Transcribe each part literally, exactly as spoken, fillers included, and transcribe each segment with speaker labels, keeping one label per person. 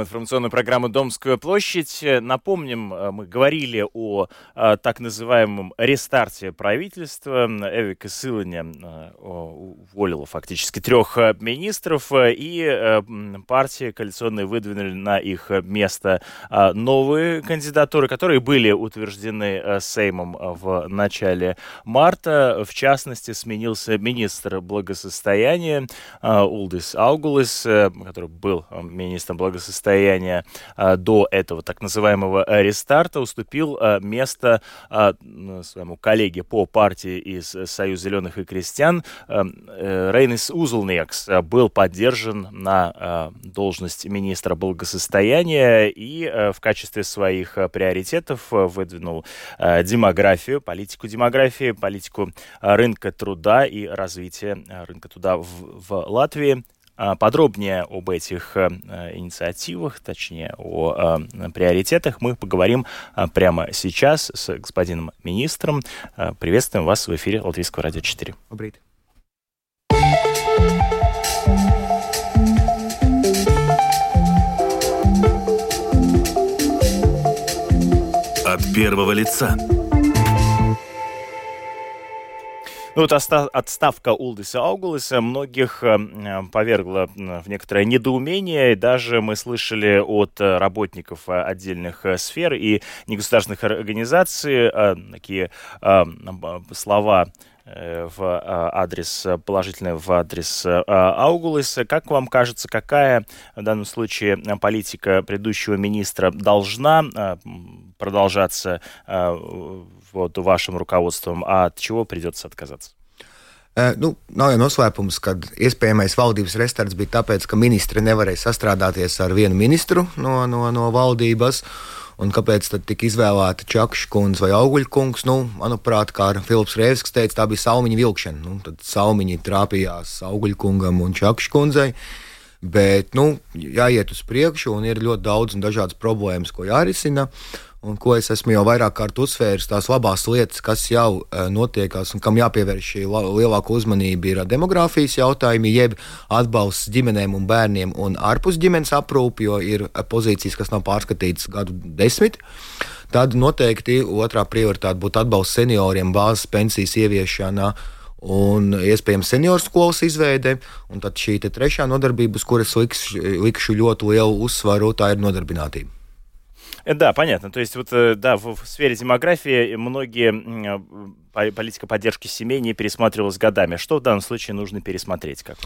Speaker 1: Информационную программу «Домская площадь». Напомним, мы говорили о, о так называемом рестарте правительства. Эвика Силаня уволила фактически трех министров, и партии коалиционные выдвинули на их место новые кандидатуры, которые были утверждены Сеймом в начале марта. В частности, сменился министр благосостояния Улдис Аугулис, который был министром благосостояния до этого так называемого рестарта, уступил место своему коллеге по партии из Союза зеленых и крестьян. Рейнис Узулниекс был поддержан на должность министра благосостояния и в качестве своих приоритетов выдвинул демографию, политику демографии, политику рынка труда и развития рынка труда в, в Латвии. Подробнее об этих э, инициативах, точнее о э, приоритетах, мы поговорим э, прямо сейчас с господином министром. Э, приветствуем вас в эфире Латвийского радио четыре.
Speaker 2: Добрый.
Speaker 3: От первого лица.
Speaker 1: Ну, вот отставка Улдиса Аугулиса многих повергла в некоторое недоумение. Даже мы слышали от работников отдельных сфер и негосударственных организаций такие слова в адрес, положительные в адрес Аугулиса. Как вам кажется, какая в данном случае политика предыдущего министра должна продолжаться вот вашим руководством, а от чего придется отказаться?
Speaker 2: Uh, nu, nav jau noslēpums, ka iespējamais valdības restarts bija tāpēc, ka ministri nevarēja sastrādāties ar vienu ministru no, no, no valdības. Un kāpēc tad tika izvēlēta Čakša kundze vai Auguļa kungs? Nu, manuprāt, kā Filips Rēvskis teica, tā bija saumiņa vilkšana. Nu, tad saumiņi trāpījās Auguļa kungam un Čakša kundzei. Bet, nu, jāiet uz priekšu un ir ļoti daudz un dažādas problēmas, ko jārisina. Un ko es esmu jau vairāk kārt uzsvērs, tās labās lietas, kas jau uh, notiekās un kam jāpievērš šī lielāka uzmanība, ir demogrāfijas jautājumi, jeb atbalsts ģimenēm un bērniem un ārpus ģimenes aprūpi, jo ir pozīcijas, kas nav pārskatītas gadu desmit. Tad noteikti otrā prioritāte būtu atbalsts senioriem, bāzes pensijas ieviešana un iespējams senioru skolas izveide. Un tad šī te trešā nodarbība, uz kuras likšu, likšu ļoti lielu uzsvaru, tā ir nodarbinātība.
Speaker 1: Да, понятно. То есть вот, да, в, в сфере демографии многие политика поддержки семей не пересматривалась годами. Что в данном случае нужно пересмотреть? Как?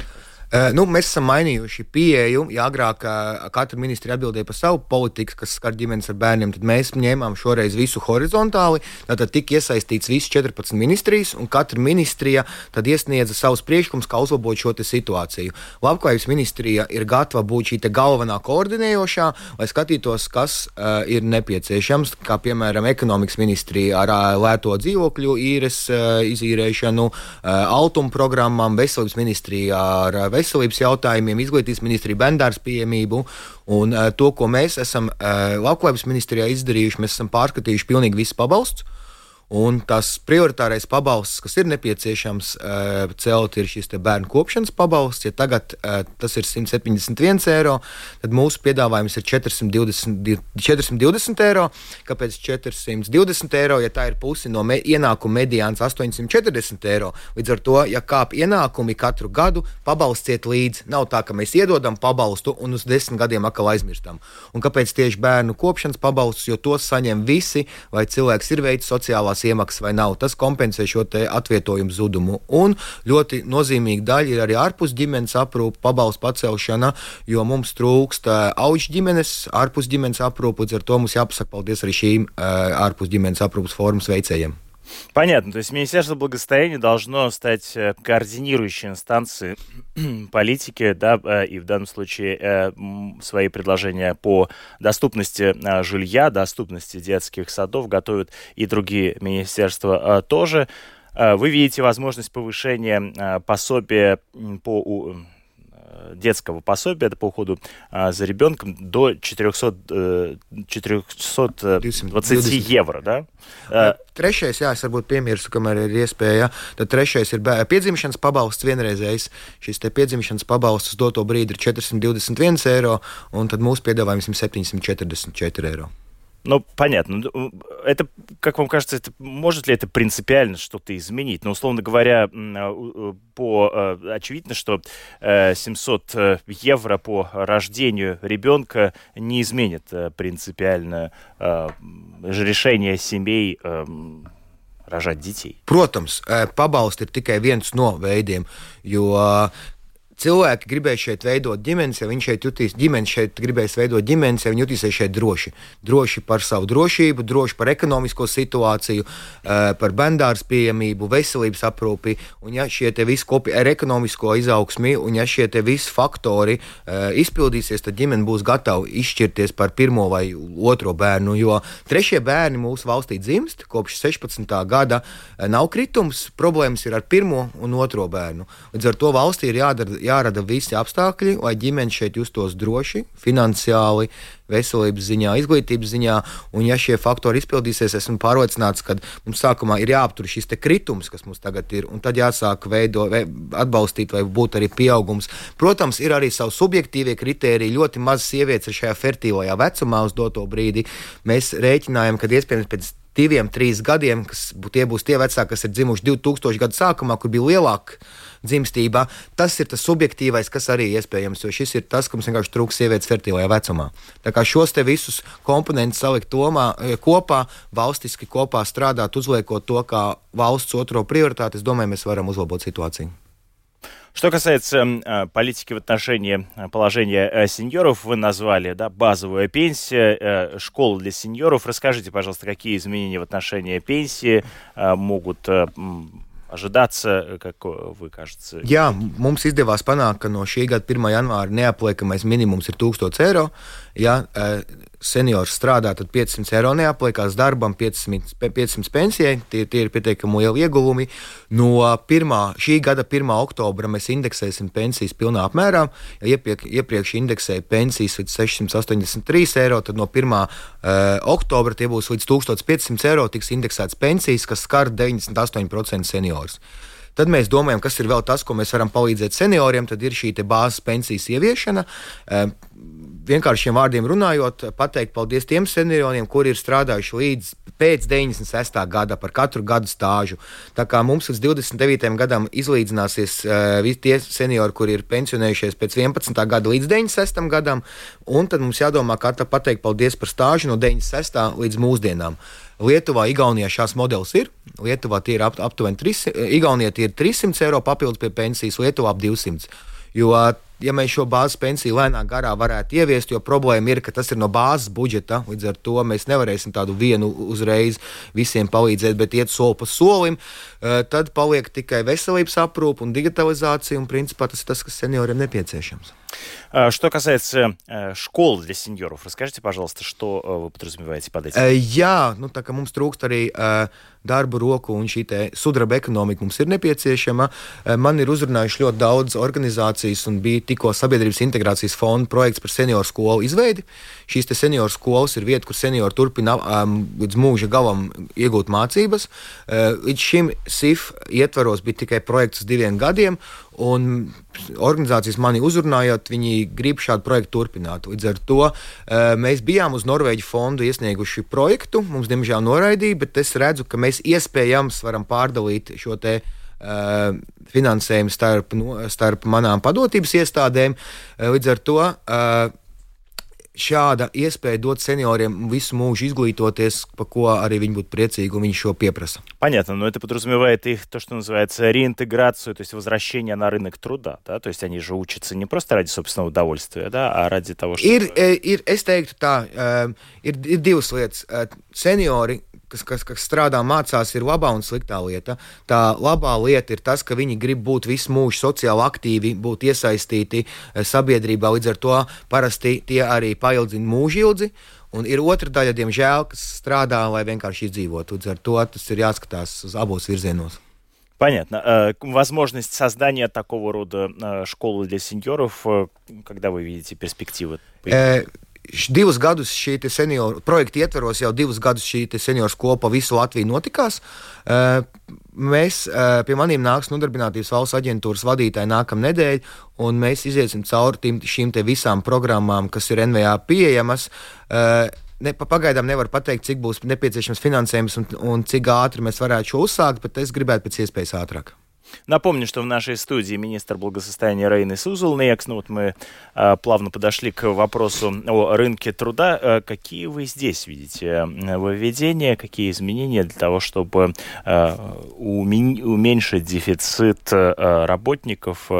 Speaker 2: Uh, nu, mēs esam mainījuši pieeju. Ja agrāk uh, katra ministri atbildēja par savu politiku, kas skar ģimenes ar bērniem, tad mēs ņēmām šoreiz visu horizontāli. Tātad tika iesaistīts visas četrpadsmit ministrijas, un katra ministrija tad iesniedza savus priekšlikumus, kā uzlabot šo situāciju. Labklājības ministrija ir gatava būt šī galvenā koordinējošā, lai skatītos, kas uh, ir nepieciešams, kā piemēram ekonomikas ministrija ar uh, lēto dzīvokļu īres uh, izīrēšanu, uh, altuma programmām, veselības ministrija ar uh, veselības jautājumiem, izglītības ministrija, bērndārs pieejamību. Un uh, to, ko mēs esam uh, Labklājības ministrijā izdarījuši, mēs esam pārskatījuši pilnīgi visus pabalstus. Un tas prioritārais pabalsts, kas ir nepieciešams uh, celt, ir šis bērnu kopšanas pabalsts. Ja tagad uh, tas ir simt septiņdesmit viens eiro, tad mūsu piedāvājums ir četrsimt divdesmit eiro. Kāpēc četrsimt divdesmit eiro, ja tā ir pusi no me, ienākuma mediāns astoņsimt četrdesmit eiro? Līdz ar to, ja kāp ienākumi katru gadu, pabalsts iet līdzi. Nav tā, ka mēs iedodam pabalstu un uz desmit gadiem atkal aizmirstam. Un kāpēc tieši bērnu kopšanas pabalsts, jo tos saņem visi, vai cilvēks ir veicis sociālās iemaksas vai nav. Tas kompensē šo te atvietojumu zudumu. Un ļoti nozīmīga daļa ir arī ārpus ģimenes aprūpe, pabalstu pacelšana, jo mums trūkst auģu ģimenes, ārpus ģimenes aprūpe, līdz ar to mums jāpasaka paldies arī šīm ārpus ģimenes aprūpes formas veicējiem.
Speaker 1: Понятно. То есть Министерство благосостояния должно стать координирующей инстанцией политики, да, и в данном случае свои предложения по доступности жилья, доступности детских садов готовят и другие министерства тоже. Вы видите возможность повышения пособия по детского пособия, это по уходу за ребенком, до четыреста двадцать евро, да?
Speaker 2: Trešais, jā, es varbūt piemirstu, kamēr ir iespēja. Tad trešais ir bērnu piedzimšanas pabalsts vienreizējs. Šis te piedzimšanas pabalsts uz doto brīdi ir четыреста двадцать один eiro, un tad mūsu piedāvājums ir семьсот четыредесят четыре eiro.
Speaker 1: Ну, понятно. Это, как вам кажется, это, может ли это принципиально что-то изменить? Ну, условно говоря, по, очевидно, что семьсот евро по рождению ребенка не изменит принципиально решение семей рожать детей.
Speaker 2: Protams, pabalsts ir tikai viens no veidiem, jo cilvēki gribēja šeit veidot ģimenes, ja viņi šeit jutīs, ģimenes šeit gribēs veidot ģimenes, ja viņi jutīsies šeit droši. Droši par savu drošību, droši par ekonomisko situāciju, par bērndārs pieejamību, veselības aprūpi, un ja šie te visi kopi ar ekonomisko izaugsmi, un ja šie te visi faktori izpildīsies, tad ģimene būs gatava izšķirties par pirmo vai otro bērnu, jo trešie bērni mūsu valstī dzimst, kopš sešpadsmitā gada nav kritums, problēmas ir ar pirmo un otro bērnu. Līdz ar to valstī ir jādara jārada visi apstākļi, lai ģimene šeit justos droši, finansiāli, veselības ziņā, izglītības ziņā, un ja šie faktori izpildīsies, esmu pārliecināts, ka mums sākumā ir jāaptur šis te kritums, kas mums tagad ir, un tad jāsāk veido, atbalstīt, vai būt arī pieaugums. Protams, ir arī savu subjektīvie kritēriji, ļoti maz sievietes ir šajā fertīlajā vecumā uz doto brīdi. Mēs rēķinājam, ka iespējams pēc diviem, trīs gadiem, kas tie būs tie vecāki, kas ir dzimuši divtūkstošie gadu sākumā, kur bija lielāka dzimstībā, tas ir tas subjektīvais, kas arī iespējams, jo šis ir tas, ka mums vienkārši trūks sievietes fertīlajā vecumā. Tā kā šos te visus komponentus salikt tomā, kopā, valstiski kopā strādāt, uzliekot to kā valsts otro prioritāti, es domāju, mēs varam uzlabot situāciju.
Speaker 1: Что касается э, политики в отношении положения э, сеньоров, вы назвали, да, базовая пенсия, э, школа для сеньоров. Расскажите, пожалуйста, какие изменения в отношении пенсии э, могут э, ожидаться, как вы кажется?
Speaker 2: Jā, mums izdevās panākt, ka no šī gada pirmā janvāra neapliekamais minimums ir tūkstots eiro. Ja seniors strādā, tad piecsimt eiro neapliekās darbam, piecsimt pensijai. Tie, tie ir pietiekami lieli ieguvumi. No pirmā, šī gada pirmā oktobra mēs indeksēsim pensijas pilnā apmērā. Ja iepriek, iepriekš indeksēja pensijas līdz sešsimt astoņdesmit trīs eiro, tad no pirmā uh, oktobra tie būs līdz tūkstoš piecsimt eiro tiks indeksēts pensijas, kas skar deviņdesmit astoņi procenti seniors. Tad mēs domājam, kas ir vēl tas, ko mēs varam palīdzēt senioriem, tad ir šī te bāzes pensijas ieviešana. Vienkāršiem vārdiem runājot, pateikt paldies tiem senioriem, kuri ir strādājuši līdz pēc deviņdesmit sestā gada par katru gadu stāžu. Tā kā mums līdz divdesmit devītajam gadam izlīdzināsies visi tie seniori, kuri ir pensionējušies pēc vienpadsmitā gada līdz deviņdesmit sestajam gadam, un tad mums jādomā, kā tā pateikt paldies par stāžu no deviņdesmit sestā līdz mūsdienām. Lietuvā, Igaunijā šās modelis ir. Lietuvā tie ir ap, aptuveni trīssimt, Igaunijā tie ir trīssimt eiro papildus pie pensijas, Lietuvā ap divsimt. Jo, ja mēs šo bāzes pensiju lēnā garā varētu ieviest, jo problēma ir, ka tas ir no bāzes budžeta, līdz ar to mēs nevarēsim tādu vienu uzreiz visiem palīdzēt, bet iet soli pa solim, tad paliek tikai veselības aprūpe un digitalizācija, un principā tas ir tas, kas senioriem nepieciešams.
Speaker 1: Что касается школ для сеньоров, расскажите, пожалуйста, что вы подразумеваете под этим?
Speaker 2: Jā, nu tā kā mums trūkst arī darba roku un šī te sudraba ekonomika mums ir nepieciešama. Man ir uzrunājuši ļoti daudz organizācijas un bija tikko sabiedrības integrācijas fonda projekts par senioru skolu izveidi. Šīs te senioru skolas ir vieta, kur seniori turpina um, līdz mūža galam iegūt mācības. Uh, līdz šim S I F ietvaros bija tikai projekts uz diviem gadiem, un organizācijas mani uzrunājot, viņi grib šādu projektu turpināt. Līdz ar to uh, mēs bijām uz Norvēģu fondu iesnieguši projektu, mums diemžēl noraidīja, bet es redzu, ka mēs iespējams varam pārdalīt šo te uh, finansējumu starp, no, starp manām padotības iestādēm. Uh, līdz ar to uh, šāda iespēja dot senioriem visu mūžu изглитываться, по ko arī viņi būtu priecīgi, un viņi šo pieprasa.
Speaker 1: Понятно, но это подразумевает их то, что называется реинтеграцию, то есть возвращение на рынок труда, да, то есть они же учатся не просто ради собственного удовольствия, да, а ради того, что...
Speaker 2: Ir, ir, es teiktu tā, ir, ir divas lietas. Seniori, kas, kas, kas strādā, mācās, ir labā un sliktā lieta. Tā labā lieta ir tas, ka viņi grib būt visu mūžu sociāli aktīvi, būt iesaistīti sabiedrībā, līdz ar to parasti tie arī paildzina mūžu ilgi. Un ir otra daļa, diemžēl, kas strādā, lai vienkārši izdzīvotu. Līdz ar to tas ir jāskatās uz abos virzienos.
Speaker 1: Понятно. Возможность создания такого рода школы для сеньоров, когда вы видите перспективы?
Speaker 2: Divus gadus šī senioru projekta ietveros, jau divus gadus šī senioru skola pa visu Latviju notikās. Mēs, pie maniem nāks Nodarbinātības valsts aģentūras vadītāji nākam nedēļ, un mēs iziesim cauri šīm te visām programmām, kas ir N V A pieejamas. Ne, pagaidām nevar pateikt, cik būs nepieciešams finansējums un, un cik ātri mēs varētu šo uzsākt, bet es gribētu pēc iespējas ātrāk.
Speaker 1: Напомню, что в нашей студии министр благосостояния Рейнис Узулниекс. Ну вот мы а, плавно подошли к вопросу о рынке труда. А, какие вы здесь видите введения, какие изменения для того, чтобы а, умен- уменьшить дефицит а, работников?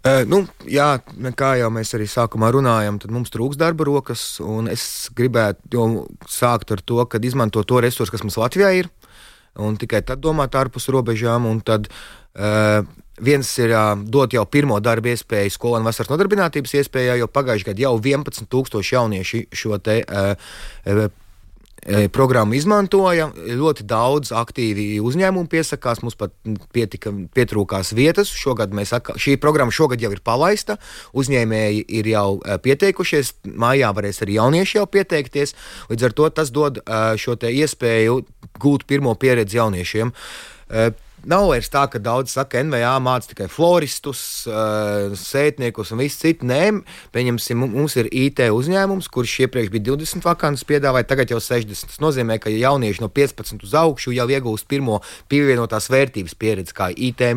Speaker 2: Uh, nu, jā, kā jau mēs arī sākumā runājam, tad mums trūks darba rokas, un es gribētu sākt ar to, kad izmanto to resursu, kas mums Latvijā ir, un tikai tad domāt ārpus robežām, un tad uh, viens ir uh, dot jau pirmo darba iespēju skolēnu vasaras nodarbinātības iespējā, jo pagājušajā gadā jau vienpadsmit tūkstoši jaunieši šo te uh, uh, programmu izmantoja, ļoti daudz aktīvi uzņēmumu piesakās, mums pat pietika, pietrūkās vietas. Šogad mēs, šī programma šogad jau ir palaista, uzņēmēji ir jau pieteikušies, mājā varēs arī jaunieši jau pieteikties, līdz ar to tas dod šo te iespēju gūt pirmo pieredzi jauniešiem. Nav vairs tā, ka daudz saka, N V A māca tikai floristus, sētniekus un viss citi. Nē, pieņemsim, mums ir I T uzņēmums, kurš iepriekš bija divdesmit vakances piedāvāja, tagad jau sešdesmit. Tas nozīmē, ka jaunieši no piecpadsmit uz augšu jau iegūst pirmo pievienotās vērtības pieredzi, kā I T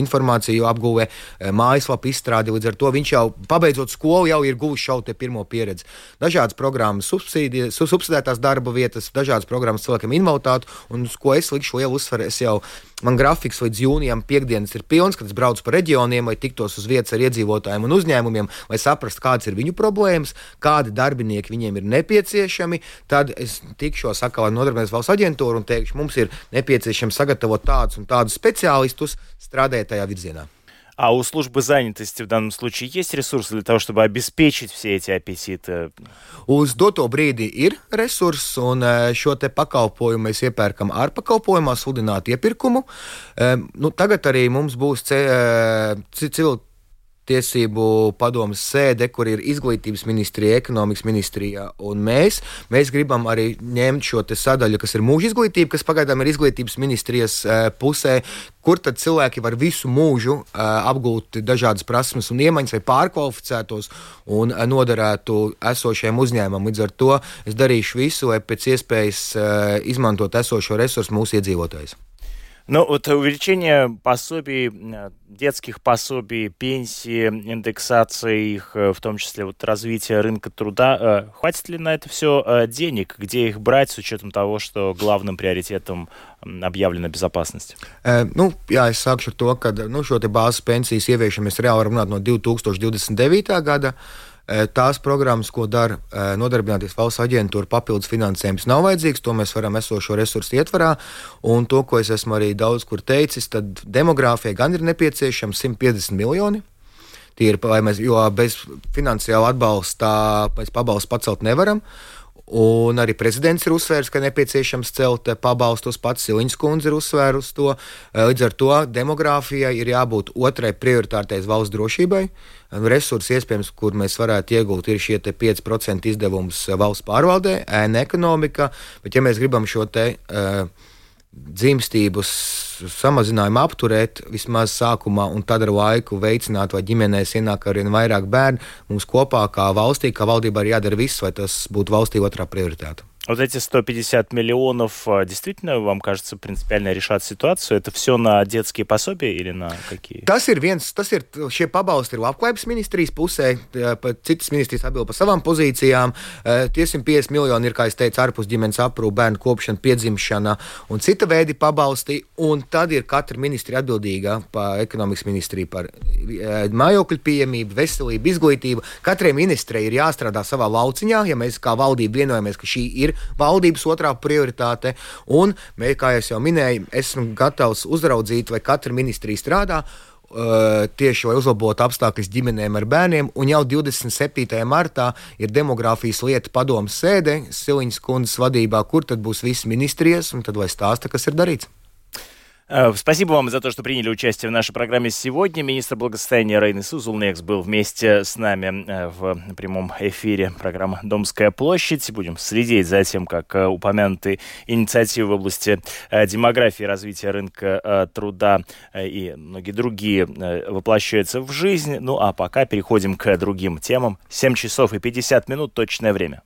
Speaker 2: informāciju apgūve, mājaslapu izstrādi. Līdz ar to viņš jau, pabeidzot skolu, jau ir guvis šo te pirmo pieredzi. Dažādas programmas subsidētās darba vietas, dažādas programmas cilvēkiem invaliditātu, un uz ko es likšu lielu uzsvaru, es jau Man grafiks līdz jūnijam piekdienas ir pilns, kad es braucu pa reģioniem, vai tiktos uz vietas ar iedzīvotājiem un uzņēmumiem, lai saprastu, kādas ir viņu problēmas, kādi darbinieki viņiem ir nepieciešami. Tad es tikšos atkal ar Nodarbinātības valsts aģentūru un teikšu, mums ir nepieciešams sagatavot tādus un tādus speciālistus, strādāt tajā virzienā.
Speaker 1: А у службы занятости в данном случае есть ресурсы для того, чтобы обеспечить все эти аппетиты?
Speaker 2: Uz doto brīdi ir resursi, un šo te pakalpojumu mēs iepērkam ārpakalpojumā, sludinātu iepirkumu. Nu, tagad arī mums būs civil tiesību padomas sēde, kur ir izglītības ministrija, ekonomikas ministrija un mēs. Mēs gribam arī ņemt šo te sadaļu, kas ir mūža izglītība, kas pagaidām ir izglītības ministrijas pusē, kur tad cilvēki var visu mūžu apgūt dažādas prasmes un iemaņas, vai pārkvalificētos un noderētu esošajiem uzņēmumam. Līdz ar to es darīšu visu, lai pēc iespējas izmantot esošo resursu mūsu iedzīvotājus.
Speaker 1: Ну, вот увеличение пособий, детских пособий, пенсии, индексации их, в том числе вот развитие рынка труда, хватит ли на это все денег? Где их брать с учетом того, что главным приоритетом объявлена безопасность? Uh,
Speaker 2: nu, jā, es sākšu ar to, ka nu, šo te bāzes pensijas ieviešanu mēs reāli varam runāt no divi tūkstoši divdesmit devītā gada. Tās programmas, ko dara Nodarbinātības valsts aģentūra, papildus finansējums nav vajadzīgs, to mēs varam esošo resursu ietvarā, un to, ko es esmu arī daudz kur teicis, tad demogrāfijai gan ir nepieciešams simt piecdesmit miljoni. Tie ir, mēs, jo bez finansiāla atbalsta mēs pabalstu pacelt nevaram. Un arī prezidents ir uzsvērs, ka nepieciešams celt pabalstus, pats Siliņas kundze ir uzsvērs to. Līdz ar to demogrāfijai ir jābūt otrai prioritātei valsts drošībai. Resursi, iespējams, kur mēs varētu iegūt, ir šie pieci procenti izdevums valsts pārvaldē, ēna ekonomika, bet ja mēs gribam šo te uh, dzimstības samazinājumu apturēt vismaz sākumā un tad ar laiku veicināt, vai ģimenēs ienāk arvien vairāk bērnu, mums kopā kā valstī, kā valdībā ir jādara viss, lai tas būtu valstī otrā prioritāte.
Speaker 1: Вот эти сто пятьдесят миллионов действительно, вам кажется, принципиально решат ситуацию? Это все на детские пособия или на какие?
Speaker 2: Tas ir viens, tas ir, šie pabalsti ir labklājības ministrijas pusē, citas ministrijas atbild par savām pozīcijām. Tie simt piecdesmit miljoni ir, kā es teicu, ārpus ģimenes aprūpe, bērnu kopšana, piedzimšana un cita veidi pabalsti. Un tad ir katra ministrija atbildīga par ekonomikas ministriju, par mājokļu pieejamību, veselību, izglītību. Katrai ministrijai ir jāstrādā savā lauciņā, ja mēs kā valdība vienojamies, ka šī ir valdības otrā prioritāte, un, kā es jau minēju, esmu gatavs uzraudzīt, vai katra ministrija strādā uh, tieši, lai uzlabotu apstākļus ģimenēm ar bērniem, un jau divdesmit septītajā martā ir demogrāfijas lieta padomas sēde Siliņas kundzes vadībā, kur tad būs visi ministrijas, un tad lai stāsta, kas ir darīts.
Speaker 1: Спасибо вам за то, что приняли участие в нашей программе сегодня. Министр благосостояния Рейнис Узулнекс был вместе с нами в прямом эфире программы «Домская площадь». Будем следить за тем, как упомянутые инициативы в области демографии, развития рынка труда и многие другие воплощаются в жизнь. Ну а пока переходим к другим темам. семь часов и пятьдесят минут, точное время.